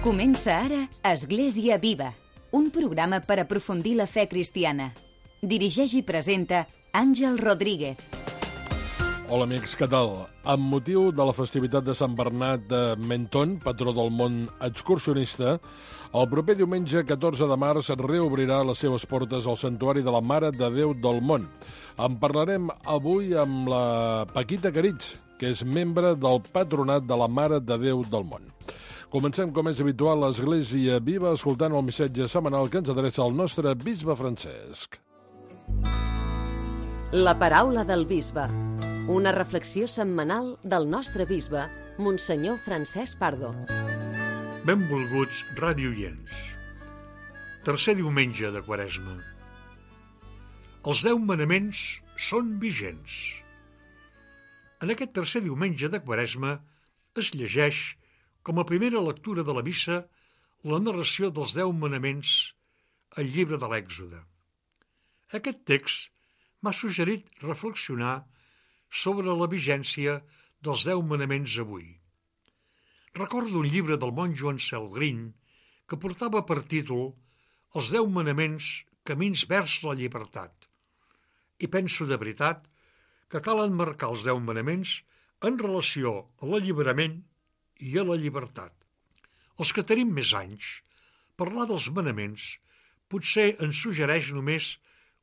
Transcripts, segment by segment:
Comença ara Església Viva, un programa per aprofundir la fe cristiana. Dirigeix i presenta Àngel Rodríguez. Hola amics, què tal? Amb motiu de la festivitat de Sant Bernat de Menton, patró del món excursionista, el proper diumenge 14 de març reobrirà les seves portes al Santuari de la Mare de Déu del Món. En parlarem avui amb la Paquita Caritx, que és membre del Patronat de la Mare de Déu del Món. Comencem, com és habitual, l'Església Viva, escoltant el missatge setmanal que ens adreça el nostre bisbe Francesc. La paraula del bisbe. Una reflexió setmanal del nostre bisbe, Monsenyor Francesc Pardo. Benvolguts radioients. Tercer diumenge de Quaresma. Els 10 manaments són vigents. En aquest tercer diumenge de Quaresma es llegeix, com a primera lectura de la missa, la narració dels 10 manaments al llibre de l'Èxode. Aquest text m'ha suggerit reflexionar sobre la vigència dels 10 manaments avui. Recordo un llibre del monjo Ansel Green que portava per títol Els 10 manaments, camins vers la llibertat. I penso de veritat que cal emmarcar els 10 manaments en relació a l'alliberament i a la llibertat. Els que tenim més anys, parlar dels manaments potser ens suggereix només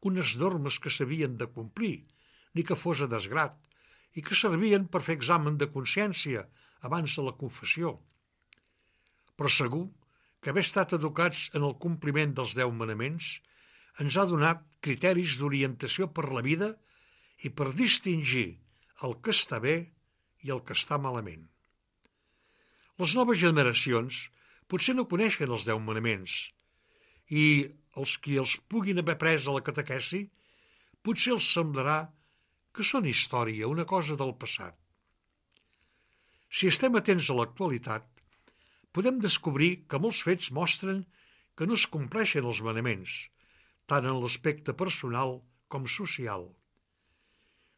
unes normes que s'havien de complir, ni que fos a desgrat, i que servien per fer examen de consciència abans de la confessió. Però segur que haver estat educats en el compliment dels 10 manaments ens ha donat criteris d'orientació per la vida i per distingir el que està bé i el que està malament. Les noves generacions potser no coneixen els 10 manaments i els qui els puguin haver pres a la catequesi potser els semblarà que són història, una cosa del passat. Si estem atents a l'actualitat, podem descobrir que molts fets mostren que no es compleixen els manaments, tant en l'aspecte personal com social.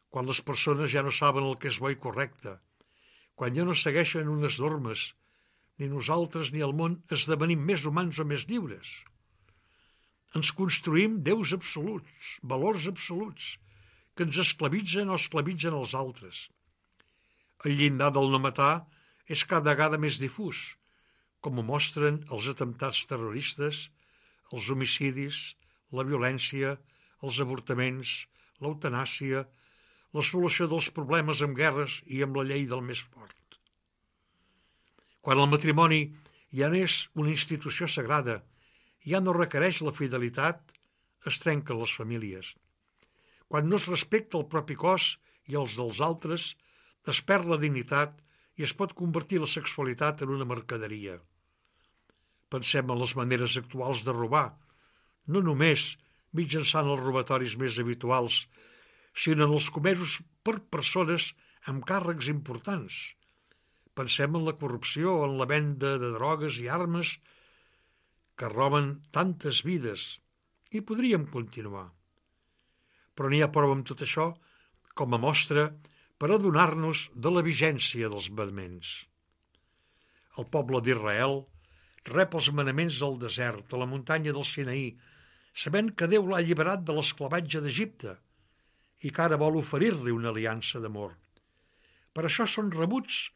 Quan les persones ja no saben el que és bo i correcte, quan ja no segueixen unes normes, ni nosaltres ni el món esdevenim més humans o més lliures. Ens construïm déus absoluts, valors absoluts, que ens esclavitzen o esclavitzen els altres. El llindar del no matar és cada vegada més difús, com ho mostren els atemptats terroristes, els homicidis, la violència, els avortaments, l'eutanàsia, la solució dels problemes amb guerres i amb la llei del més fort. Quan el matrimoni ja no és una institució sagrada, ja no requereix la fidelitat, es trenquen les famílies. Quan no es respecta el propi cos i els dels altres, es perd la dignitat i es pot convertir la sexualitat en una mercaderia. Pensem en les maneres actuals de robar, no només mitjançant els robatoris més habituals, sinó en els comesos per persones amb càrrecs importants. Pensem en la corrupció o en la venda de drogues i armes que roben tantes vides, i podríem continuar. Però n'hi ha prou amb tot això com a mostra per adonar-nos de la vigència dels manaments. El poble d'Israel rep els manaments al desert, a la muntanya del Sinaí, sabent que Déu l'ha alliberat de l'esclavatge d'Egipte i que ara vol oferir-li una aliança d'amor. Per això són rebuts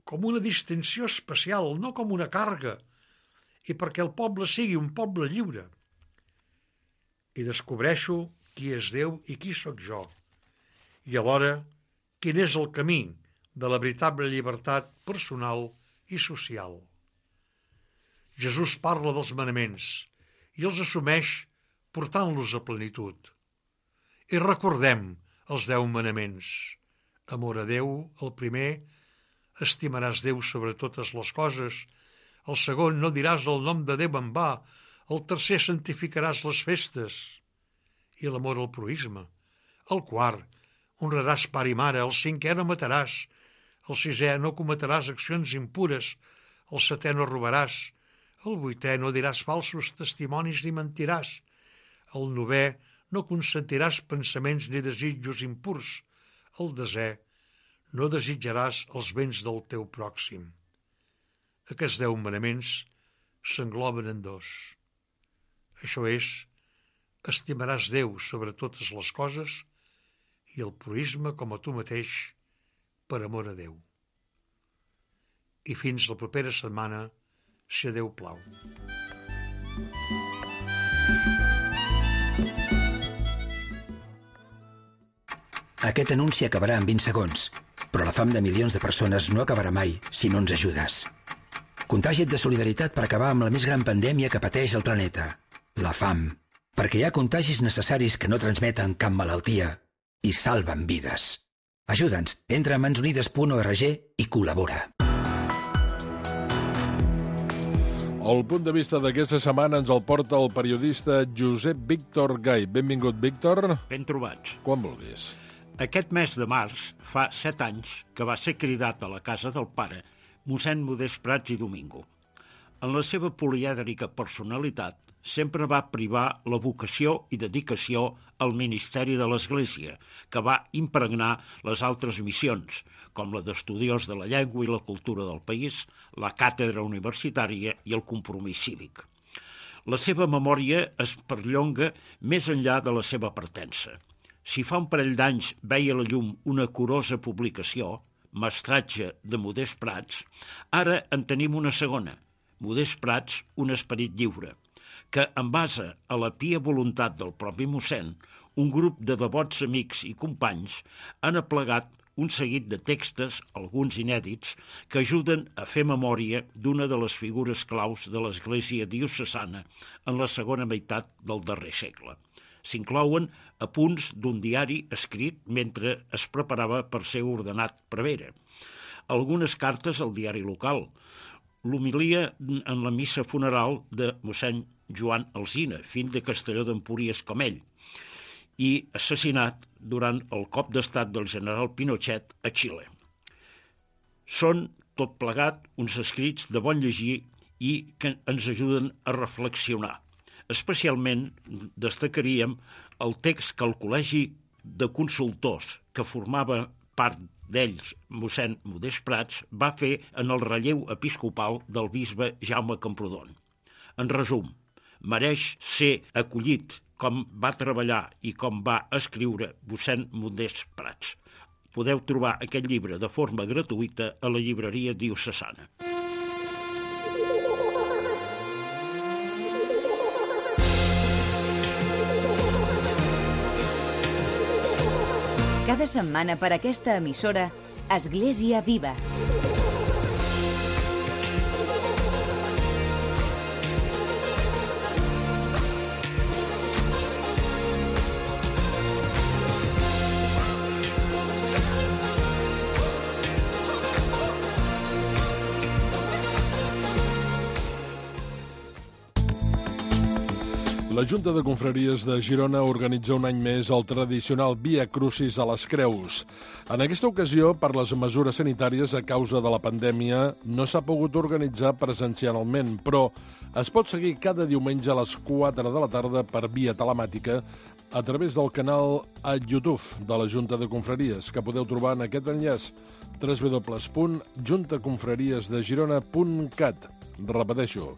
com una distinció especial, no com una càrrega, i perquè el poble sigui un poble lliure. I descobreixo qui és Déu i qui sóc jo, i alhora quin és el camí de la veritable llibertat personal i social. Jesús parla dels manaments i els assumeix portant-los a plenitud. I recordem els 10 manaments. Amor a Déu, el primer, estimaràs Déu sobre totes les coses, el segon, no diràs el nom de Déu en va, el tercer, santificaràs les festes, i l'amor al proïsme. El quart, honraràs pare i mare, el cinquè, no mataràs, el sisè, no cometràs accions impures, el setè, no robaràs, el vuitè, no diràs falsos testimonis ni mentiràs, el novè, no consentiràs pensaments ni desitjos impurs, el desè, no desitjaràs els béns del teu pròxim. Aquests 10 manaments s'engloben en 2. Això és, estimaràs Déu sobre totes les coses i el proïsme com a tu mateix per amor a Déu. I fins la propera setmana, si a Déu plau. Aquest anunci acabarà en 20 segons, però la fam de milions de persones no acabarà mai si no ens ajudes. Contagia't de solidaritat per acabar amb la més gran pandèmia que pateix el planeta, la fam. Perquè hi ha contagis necessaris que no transmeten cap malaltia i salven vides. Ajuda'ns, entra a mansunides.org i col·labora. El punt de vista d'aquesta setmana ens el porta el periodista Josep Víctor Gai. Benvingut, Víctor. Ben trobats. Quan vulguis. Aquest mes de març fa 7 anys que va ser cridat a la casa del pare mossèn Modest Prats i Domingo. En la seva polièdrica personalitat sempre va privar la vocació i dedicació al ministeri de l'Església, que va impregnar les altres missions, com la d'estudiós de la llengua i la cultura del país, la càtedra universitària i el compromís cívic. La seva memòria es perllonga més enllà de la seva partença. Si fa un parell d'anys veia la llum una curosa publicació, Mestratge de Modest Prats, ara en tenim una segona, Modest Prats, un esperit lliure, que, en base a la pia voluntat del propi mossèn, un grup de devots amics i companys han aplegat un seguit de textos, alguns inèdits, que ajuden a fer memòria d'una de les figures claus de l'Església diocesana en la segona meitat del darrer segle. S'inclouen apunts d'un diari escrit mentre es preparava per ser ordenat prevere, algunes cartes al diari local, l'homilia en la missa funeral de mossèn Joan Alsina, fill de Castelló d'Empúries com ell, i assassinat durant el cop d'estat del general Pinochet a Xile. Són, tot plegat, uns escrits de bon llegir i que ens ajuden a reflexionar. Especialment destacaríem el text que el Col·legi de Consultors, que formava part d'ells, mossèn Modest Prats, va fer en el relleu episcopal del bisbe Jaume Camprodon. En resum, mereix ser acollit com va treballar i com va escriure mossèn Modest Prats. Podeu trobar aquest llibre de forma gratuïta a la llibreria diocesana. Cada setmana per aquesta emissora, Església Viva. La Junta de Confraries de Girona organitza un any més el tradicional Via Crucis a les Creus. En aquesta ocasió, per les mesures sanitàries a causa de la pandèmia, no s'ha pogut organitzar presencialment, però es pot seguir cada diumenge a les 4 de la tarda per via telemàtica a través del canal a YouTube de la Junta de Confraries, que podeu trobar en aquest enllaç www.juntaconfrariesdegirona.cat. Repeteixo,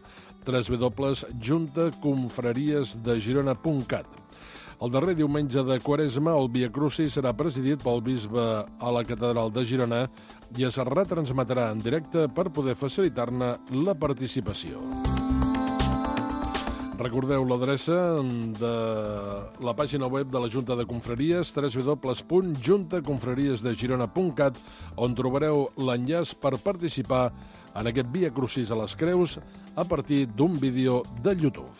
www.juntaconfrariesdegirona.cat. El darrer diumenge de Quaresma, el Via Crucis serà presidit pel bisbe a la catedral de Girona i es retransmetrà en directe per poder facilitar-ne la participació. Recordeu l'adreça de la pàgina web de la Junta de Confraries, www.juntaconfrariesdegirona.cat, on trobareu l'enllaç per participar en aquest Via Crucis a les Creus a partir d'un vídeo de YouTube.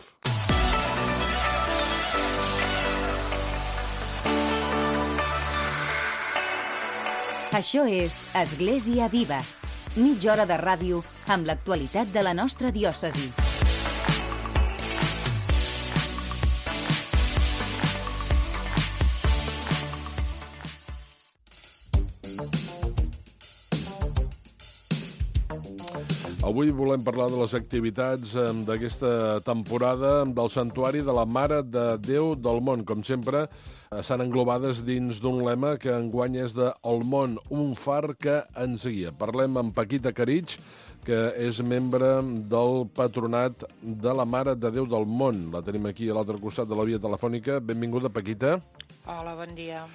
Això és Església Viva, mitja hora de ràdio amb l'actualitat de la nostra diòcesi. Avui volem parlar de les activitats d'aquesta temporada del Santuari de la Mare de Déu del Món. Com sempre, estan englobades dins d'un lema que enguany és de El món, un far que ens guia. Parlem amb Paquita Caritx, que és membre del Patronat de la Mare de Déu del Món. La tenim aquí a l'altre costat de la via telefònica. Benvinguda, Paquita. Hola, bon dia.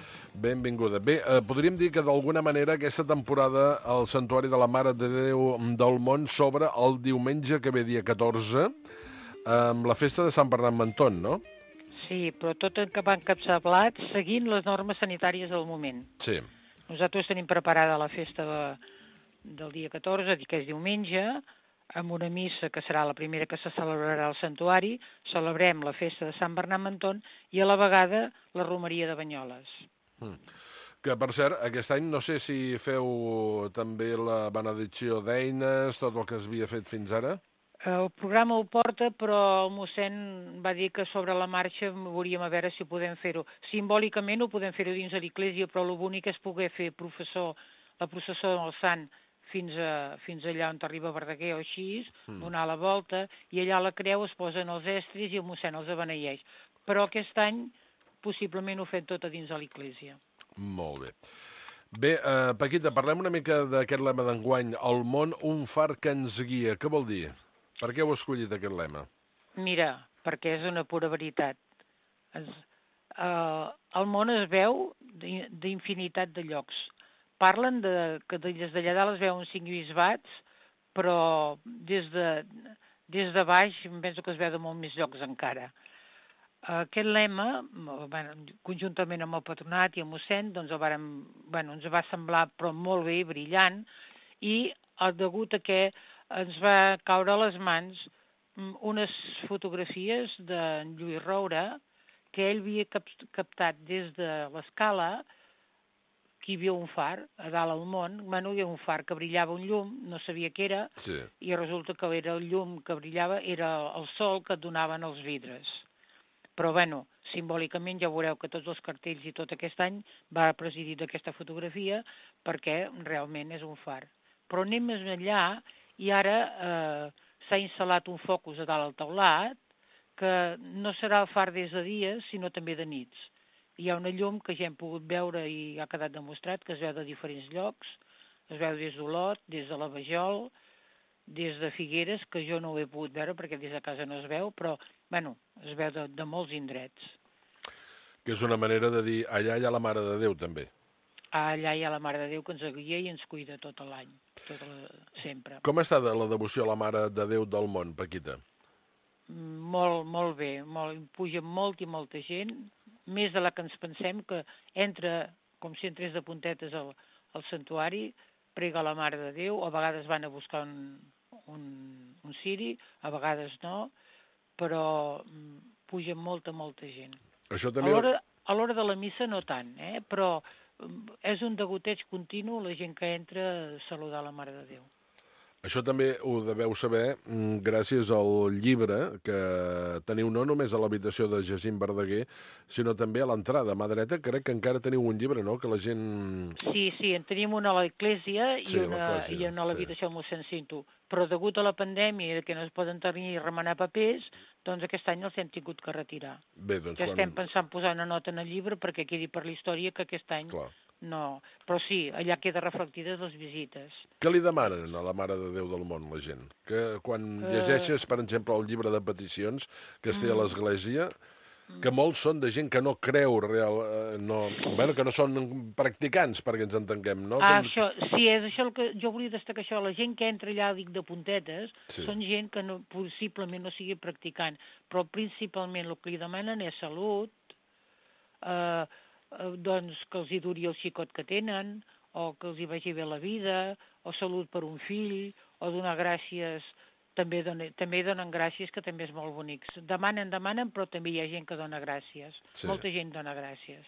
Benvinguda. Bé, podríem dir que d'alguna manera aquesta temporada el Santuari de la Mare de Déu del Món s'obre el diumenge que ve, dia 14, amb la festa de Sant Bernat Menton, no? Sí, però tot va encapçalat seguint les normes sanitàries del moment. Sí. Nosaltres tenim preparada la festa del dia 14, que és diumenge, amb una missa que serà la primera que se celebrarà al santuari, celebrem la festa de Sant Bernat Menton i a la vegada la romeria de Banyoles. Que, per cert, aquest any no sé si feu també la benedicció d'eines, tot el que es havia fet fins ara. El programa ho porta, però el mossèn va dir que sobre la marxa veuríem a veure si podem fer-ho. Simbòlicament ho podem fer-ho dins de l'església, però el bonic és poder fer la processó del Sant fins allà on arriba Verdaguer o així, donar la volta, i allà a la creu es posen els estris i el mossèn els beneeix. Però aquest any possiblement ho fem tot a dins de l'església. Molt bé. Bé, Paquita, parlem una mica d'aquest lema d'enguany, El món, un far que ens guia. Què vol dir? Per què heu escollit aquest lema? Mira, perquè és una pura veritat. El món es veu d'infinitat de llocs. Parlen que des d'allà dalt es veuen 5 bisbats, però des de baix em penso que es veu de molt més llocs encara. Aquest lema, conjuntament amb el patronat i el mossèn, doncs ens va semblar però molt bé, brillant, i degut a que ens va caure a les mans unes fotografies d'en Lluís Roura que ell havia captat des de l'escala, que hi havia un far a dalt al món, hi havia un far que brillava un llum, no sabia què era, sí. I resulta que era el llum que brillava, era el sol que et donaven els vidres. Però, simbòlicament ja veureu que tots els cartells i tot aquest any va presidir d'aquesta fotografia perquè realment és un far. Però anem més enllà i ara s'ha instal·lat un focus a dalt al teulat que no serà el far des de dia, sinó també de nits. Hi ha una llum que ja hem pogut veure i ha quedat demostrat que es veu de diferents llocs, es veu des d'Olot, des de la Vajol, des de Figueres, que jo no ho he pogut veure perquè des de casa no es veu, però, es veu de molts indrets. Que és una manera de dir, allà hi ha la Mare de Déu, també. Allà hi ha la Mare de Déu que ens guia i ens cuida tot l'any, sempre. Com està la devoció a la Mare de Déu del Món, Paquita? Molt, molt bé, puja molt i molta gent, més de la que ens pensem, que entra com si entrés de puntetes al santuari, prega a la Mare de Déu, a vegades van a buscar un ciri, a vegades no, però puja molta gent. Això també... A l'hora de la missa no tant, però és un degoteig continu la gent que entra a saludar la Mare de Déu. Això també ho deveu saber gràcies al llibre que teniu no només a l'habitació de Jacint Verdaguer, sinó també a l'entrada. A mà dreta crec que encara teniu un llibre, no?, que la gent... Sí, en tenim una a l'església i una a l'habitació del mossèn Cinto. Però degut a la pandèmia que no es poden tenir i remenar papers, doncs aquest any els hem tingut que retirar. Bé, doncs... Estem pensant posar una nota en el llibre perquè quedi per la història que aquest any... Clar. No, però sí, allà queda reflectides les visites. Què li demanen a la Mare de Déu del Món, la gent? Que quan llegeixes, per exemple, el llibre de peticions que es té a l'església, que molts són de gent que no creu que no són practicants, perquè ens entenguem, no? Això, sí, és això el que jo volia destacar, això. La gent que entra allà, dic, de puntetes, són gent que possiblement no sigui practicant, però principalment el que li demanen és salut, doncs que els hi duri el xicot que tenen, o que els hi vagi bé la vida, o salut per un fill, o donar gràcies, també donen gràcies, que també és molt bonic. Demanen, però també hi ha gent que dona gràcies. Sí. Molta gent dona gràcies.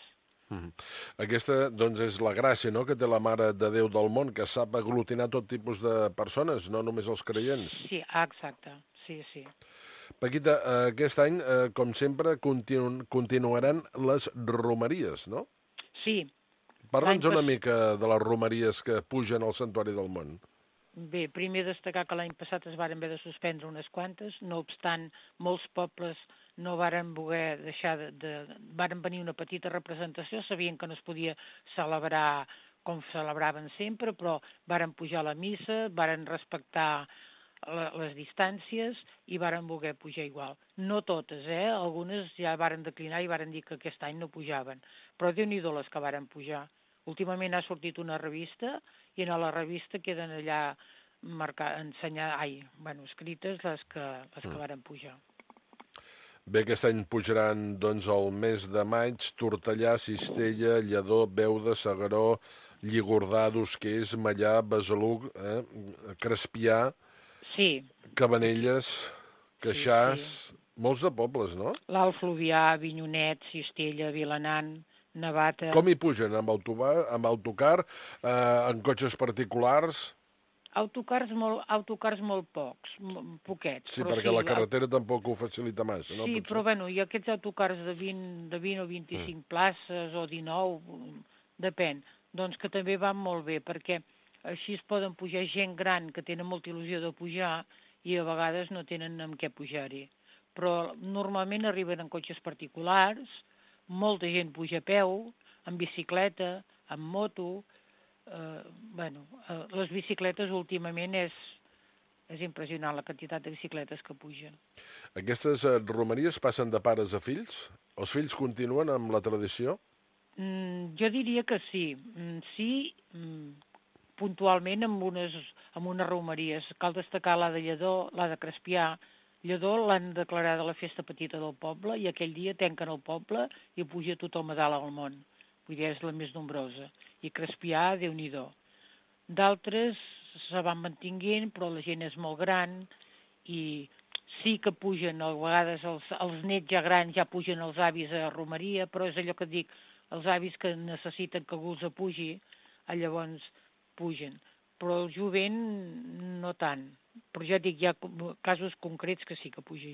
Aquesta, doncs, és la gràcia, no?, que té la Mare de Déu del Món, que sap aglutinar tot tipus de persones, no només els creients. Sí, exacte, sí. Paquita, aquest any, com sempre, continuaran les romeries, no? Sí. Parla'ns una mica de les romeries que pugen al Santuari del Món. Bé, primer destacar que l'any passat es varen haver de suspendre unes quantes, no obstant, molts pobles no varen voler deixar varen venir una petita representació, sabien que no es podia celebrar com celebraven sempre, però varen pujar a la missa, varen respectar les distàncies i varen voler pujar igual. No totes, algunes ja varen declinar i varen dir que aquest any no pujaven, però Déu-n'hi-do les que varen pujar. Últimament ha sortit una revista i en la revista queden allà escrites les que varen pujar. Bé, aquest any pujaran, doncs, el mes de maig, Tortellà, Cistella, Lledó, Beuda, S'Agaró, Lligordà, Dosquers, Mallà, Besalú, Crespià, sí. Cabanelles, Queixàs, molts de pobles, no? L'Alt Fluvià, Avinyonet, Cistella, Vilanant, Navata... Com hi pugen? Amb autocar, en cotxes particulars? Autocars molt poquets. Sí, perquè la carretera tampoc ho facilita massa, no? Sí, però bueno, hi ha aquests autocars de 20 o 25 places o 19, depèn, doncs que també van molt bé, perquè així es poden pujar gent gran que tenen molta il·lusió de pujar i a vegades no tenen amb què pujar-hi. Però normalment arriben en cotxes particulars, molta gent puja a peu, en bicicleta, en moto... les bicicletes últimament és impressionant la quantitat de bicicletes que pugen. Aquestes romeries passen de pares a fills? Els fills continuen amb la tradició? Jo diria que sí. Sí, puntualment amb unes romeries. Cal destacar la de Lledó, la de Crespià. Lledó l'han declarada la festa petita del poble i aquell dia tanquen el poble i puja tothom a dalt al món. Vull dir, és la més nombrosa. I Crespià, Déu-n'hi-do. D'altres se van mantinguent, però la gent és molt gran i sí que pugen, a vegades els nets ja grans ja pugen els avis a romeria, però és allò que dic, els avis que necessiten que algú els apugi, llavors pugen. Però el jovent no tant. Però ja dic, hi ha casos concrets que sí que puja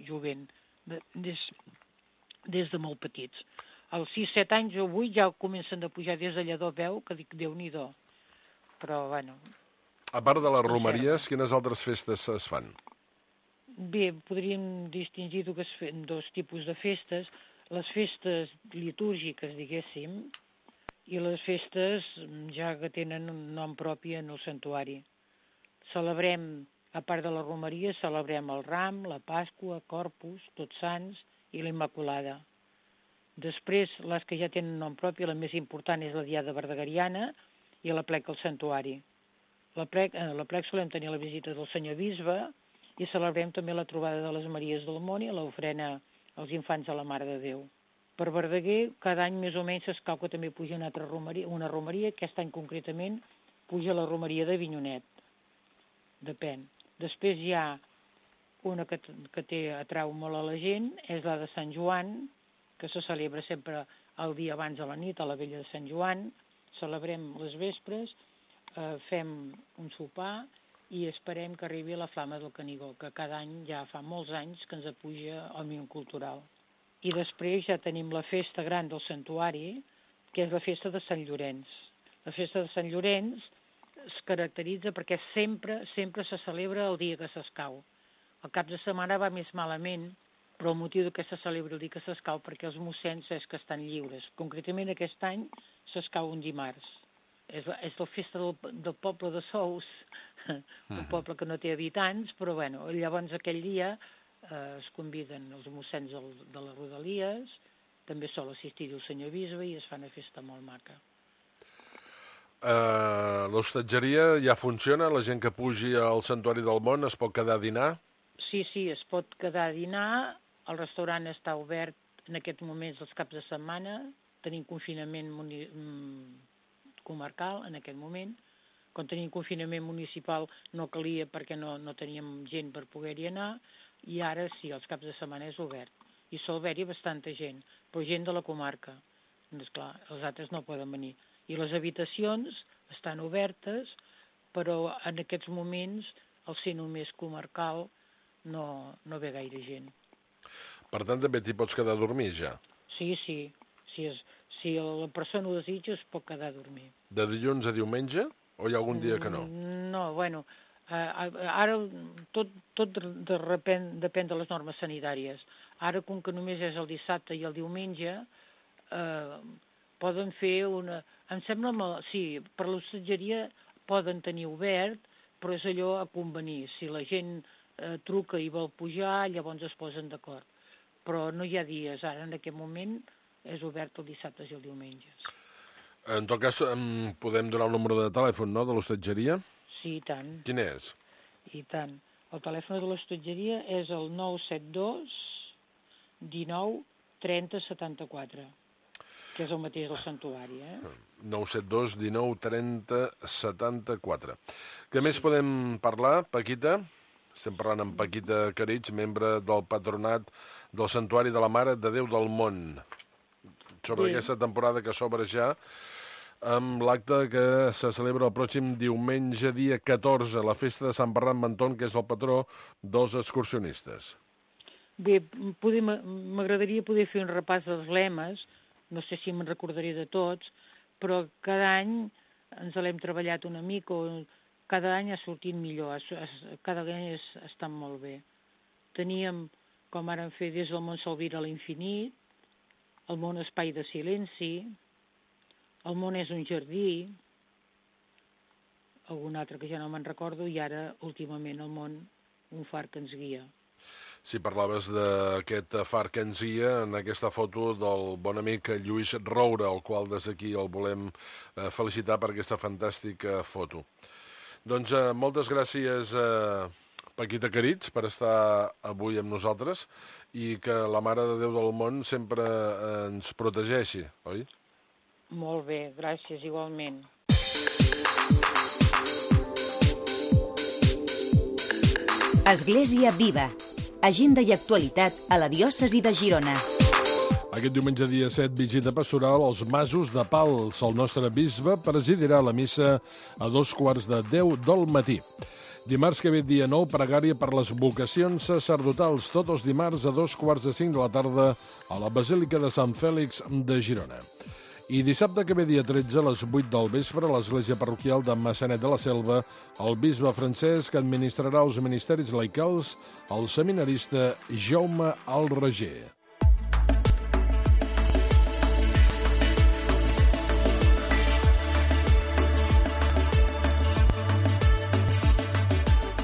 jovent, des de molt petits. Als 6-7 anys o 8 ja comencen a pujar des de Lledó, veu, que dic, Déu-n'hi-do. Però, bueno... A part de les romeries, quines altres festes es fan? Bé, podríem distingir dos tipus de festes. Les festes litúrgiques, diguéssim, i les festes ja que tenen un nom propi en el santuari. Celebrem, a part de la romeria, celebrem el Ram, la Pasqua, Corpus, Tots Sants i la Immaculada. Després, les que ja tenen nom propi, la més important és la Diada Verdegariana i la plec al santuari. La plec solem tenir la visita del senyor bisbe i celebrem també la trobada de les Maries del Món i l'ofrena als infants de la Mare de Déu. Per Verdaguer, cada any més o menys s'escau que també puja una romeria, aquest any concretament puja la romeria d'Avinyonet. Depèn. Després hi ha una que atrau molt a la gent, és la de Sant Joan, que se celebra sempre el dia abans de la nit, a la vella de Sant Joan. Celebrem les vespres, fem un sopar i esperem que arribi la Flama del Canigó, que cada any, ja fa molts anys, que ens apuja al Òmnium Cultural. I després ja tenim la festa gran del santuari, que és la festa de Sant Llorenç. La festa de Sant Llorenç es caracteritza perquè sempre se celebra el dia que s'escau. El cap de setmana va més malament, però el motiu que se celebra el dia que s'escau perquè els mossens és que estan lliures. Concretament aquest any s'escau un dimarts. És la festa del poble de Sous, un poble que no té habitants, però bueno, llavors aquell dia es conviden els mossens de les Rodalies, també sol assistir el senyor bisbe i es fa una festa molt maca. L'hostatgeria ja funciona? La gent que pugi al Santuari del Món es pot quedar a dinar? Sí, es pot quedar a dinar. El restaurant està obert en aquests moments els caps de setmana. Tenim confinament comarcal en aquest moment. Quan tenim confinament municipal no calia perquè no teníem gent per poder-hi anar. I ara sí, els caps de setmana és obert. I sol haver-hi bastanta gent, però gent de la comarca. Esclar, els altres no poden venir. I les habitacions estan obertes, però en aquests moments, al ser només comarcal, no ve gaire gent. Per tant, també t'hi pots quedar a dormir, ja? Sí. Si la persona ho desitja, es pot quedar a dormir. De dilluns a diumenge? O hi ha algun dia que no? No, bueno, ara tot depèn de les normes sanitàries. Ara, com que només és el dissabte i el diumenge, poden fer una... Em sembla, sí, per l'hostatgeria poden tenir obert, però és allò a convenir. Si la gent truca i vol pujar, llavors es posen d'acord. Però no hi ha dies. Ara, en aquest moment, és obert els dissabtes i els diumenges. En tot cas, podem donar el número de telèfon, no?, de l'hostatgeria? Sí, i tant. Quin és? I tant. El telèfon de l'hostatgeria és el 972 19 30 74, que és el mateix del santuari, 972 19 30 74. Què més podem parlar, Paquita? Estem parlant amb Paquita Caritx, membre del patronat del Santuari de la Mare de Déu del Món, sobre aquesta temporada que s'obre ja, amb l'acte que se celebra el pròxim diumenge, dia 14, la festa de Sant Bernat Menton, que és el patró dels excursionistes. Bé, m'agradaria poder fer un repàs dels lemes, no sé si me'n recordaré de tots, però cada any ens l'hem treballat una mica, o cada any ha sortit millor, cada any està molt bé. Teníem, com ara hem fet, des del món Salvira a l'infinit, el món espai de silenci, el món és un jardí, algun altre que ja no me'n recordo, i ara, últimament, el món, un far que ens guia. Si parlaves d'aquest far que ens guia, en aquesta foto del bon amic Lluís Roura, el qual des d'aquí el volem felicitar per aquesta fantàstica foto. Doncs moltes gràcies, Paquita Caritx, per estar avui amb nosaltres i que la Mare de Déu del Món sempre ens protegeixi, oi? Molt bé, gràcies, igualment. Església Viva. Agenda i actualitat a la diòcesi de Girona. Aquest diumenge dia 7, visita pastoral als Masos de Pals. El nostre bisbe presidirà la missa a 2:15 del matí. Dimarts que ve, dia 9, pregària per les vocacions sacerdotals, tots els dimarts a 4:45 de la tarda a la Basílica de Sant Fèlix de Girona. I dissabte que ve, dia 13, a les 8 del vespre, a l'església parroquial de Massanet de la Selva, el bisbe Francesc administrarà els ministeris laicals al seminarista Jaume Alreger.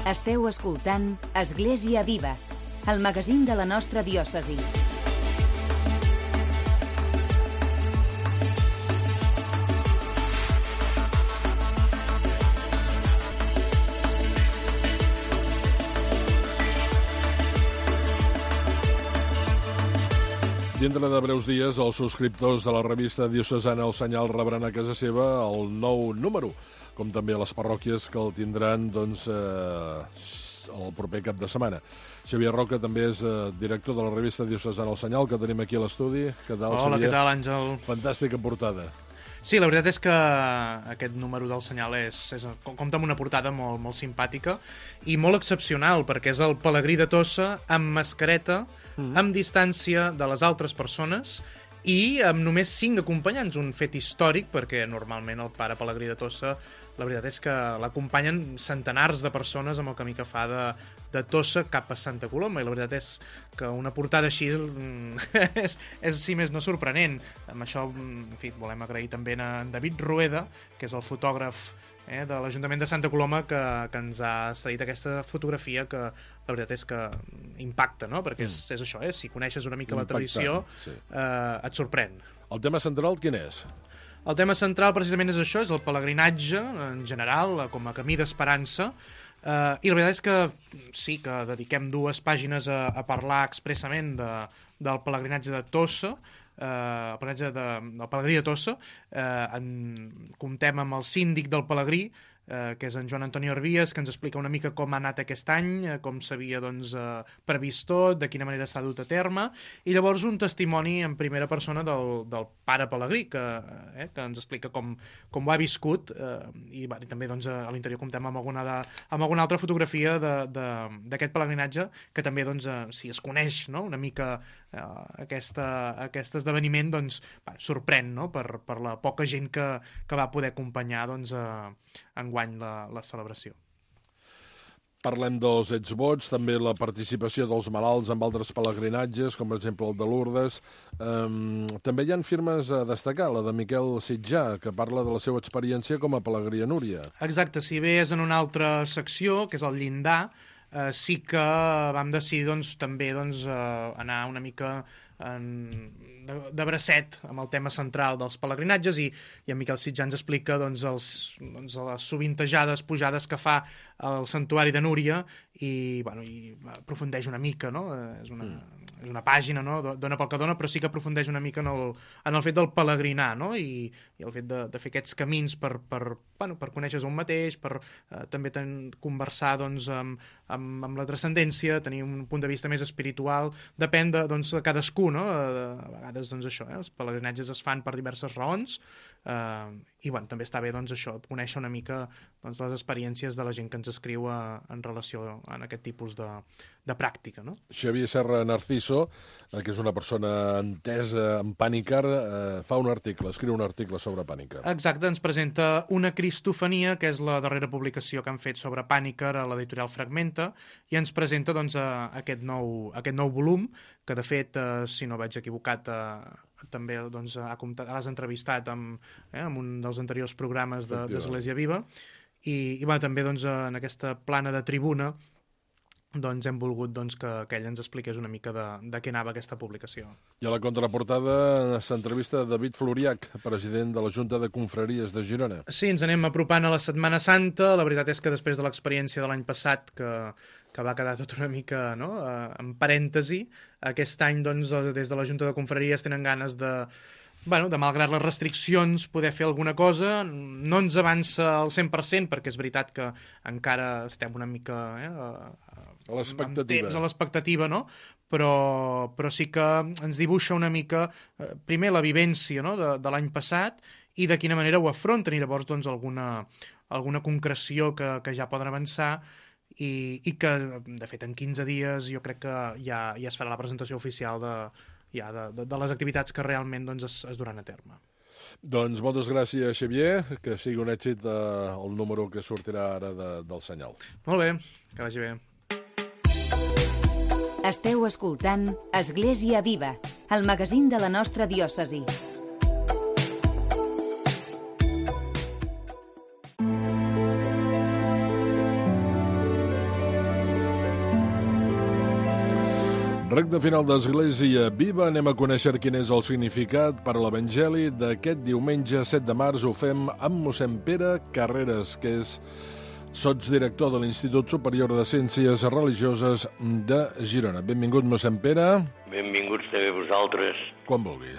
Esteu escoltant Església Viva, el magazín de la nostra diòcesi. Dintre de breus dies, els subscriptors de la revista diocesana El Senyal rebran a casa seva el nou número, com també a les parròquies que el tindran el proper cap de setmana. Xavier Roca també és director de la revista diocesana El Senyal, que tenim aquí a l'estudi. Què tal, Hola, Xavier? què tal, Àngel? Fantàstica portada. Sí, la veritat és que aquest número del Senyal compta amb una portada molt, molt simpàtica i molt excepcional, perquè és el Pelegrí de Tossa amb mascareta, amb distància de les altres persones i amb només 5 acompanyants, un fet històric, perquè normalment el pare Pelegrí de Tossa, la veritat és que l'acompanyen centenars de persones amb el camí que fa de Tossa cap a Santa Coloma, i la veritat és que una portada així és si més no sorprenent. Amb això, en fi, volem agrair també a en David Rueda, que és el fotògraf de l'Ajuntament de Santa Coloma, que ens ha cedit aquesta fotografia, que la veritat és que impacta, no? Perquè és això, si coneixes una mica la tradició, sí, et sorprèn. El tema central quin és? El tema central precisament és això, és el pelegrinatge en general, com a camí d'esperança, i la veritat és que sí que dediquem 2 pàgines a parlar expressament del pelegrinatge de Tossa, el pelegrinatge del Pelegrí de Tossa. Comptem amb el síndic del Pelegrí, que és en Joan Antoni Arbies, que ens explica una mica com ha anat aquest any, com s'havia previst tot, de quina manera s'ha dut a terme, i llavors un testimoni en primera persona del pare Pelegrí, que ens explica com ho ha viscut, i també a l'interior comptem amb alguna altra fotografia d'aquest pelegrinatge, que també si es coneix una mica aquest esdeveniment, sorprèn per la poca gent que va poder acompanyar enguany la celebració. Parlem dels exvots, també la participació dels malalts en altres pelegrinatges, com per exemple el de Lourdes. També hi ha firmes a destacar, la de Miquel Sitjà, que parla de la seva experiència com a pelegrí a Núria. Exacte, si bé és en una altra secció, que és el llindar, sí que vam decidir també anar una mica de bracet amb el tema central dels pelegrinatges, i en Miquel Sitjà ens explica les sovintejades pujades que fa al santuari de Núria, i aprofundeix una mica, no? És una pàgina, no? Dona pel que dona, però sí que aprofundeix una mica en el fet del pelegrinar, no? I el fet de fer aquests camins per conèixer-se un mateix, per també conversar amb la transcendència, tenir un punt de vista més espiritual, depèn de cadascú, no? A vegades els pelegrinatges es fan per diverses raons, i també està bé conèixer una mica les experiències de la gent que ens escriu en relació a aquest tipus de pràctica, no? Xavier Serra Narciso, que és una persona entesa en Pànicar, fa un article, escriu un article sobre Pànicar. Exacte, ens presenta una cristofania, que és la darrera publicació que han fet sobre Pànicar a l'editorial Fragmenta, i ens presenta aquest nou volum, que de fet, si no vaig equivocat, també l'has entrevistat amb un dels anteriors programes d'Església Viva, i també en aquesta plana de tribuna hem volgut que ell ens expliqués una mica de què anava aquesta publicació. I a la contraportada s'entrevista David Floriach, president de la Junta de Confraries de Girona. Sí, ens anem apropant a la Setmana Santa. La veritat és que després de l'experiència de l'any passat, que va quedar tot una mica en parèntesi, aquest any des de la Junta de Confraries tenen ganes de malgrat les restriccions, poder fer alguna cosa. No ens avança al 100%, perquè és veritat que encara estem una mica a l'expectativa, no? Però sí que ens dibuixa una mica, primer, la vivència de l'any passat i de quina manera ho afronten, i llavors alguna concreció que ja poden avançar, i que, de fet, en 15 dies jo crec que ja es farà la presentació oficial de les activitats que realment es duran a terme. Doncs moltes gràcies, Xavier, que sigui un èxit el número que sortirà ara del Senyal. Molt bé, que vagi bé. Esteu escoltant Església Viva, el magazín de la nostra diòcesi. Recte final d'Església Viva, anem a conèixer quin és el significat per a l'Evangeli d'aquest diumenge 7 de març. Ho fem amb mossèn Pere Carreras, que és sotsdirector de l'Institut Superior de Ciències Religioses de Girona. Benvingut, mossèn Pere. Benvinguts també vosaltres. Quan vulgui.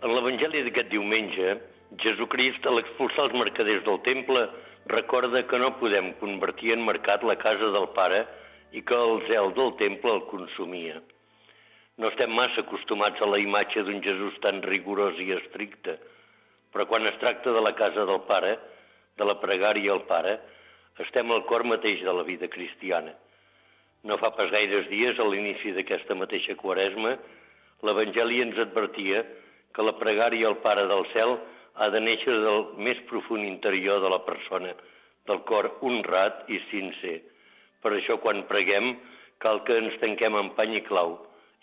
En l'Evangeli d'aquest diumenge, Jesucrist, a l'expulsar els mercaders del temple, recorda que no podem convertir en mercat la casa del Pare i que el zel del temple el consumia. No estem massa acostumats a la imatge d'un Jesús tan rigorós i estricte, però quan es tracta de la casa del Pare, de la pregària al Pare, estem al cor mateix de la vida cristiana. No fa pas gaires dies, a l'inici d'aquesta mateixa Quaresma, l'Evangeli ens advertia que la pregària al Pare del cel ha de néixer del més profund interior de la persona, del cor honrat i sincer. Per això, quan preguem, cal que ens tanquem en pany i clau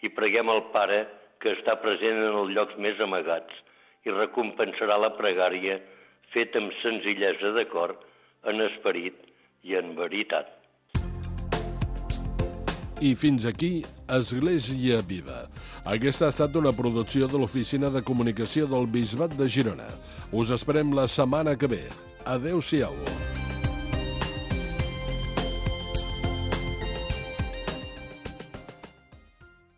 i preguem al Pare que està present en els llocs més amagats i recompensarà la pregària feta amb senzillesa de cor, en esperit i en veritat. I fins aquí, Església Viva. Aquesta ha estat una producció de l'Oficina de Comunicació del Bisbat de Girona. Us esperem la setmana que ve. Adéu-siau.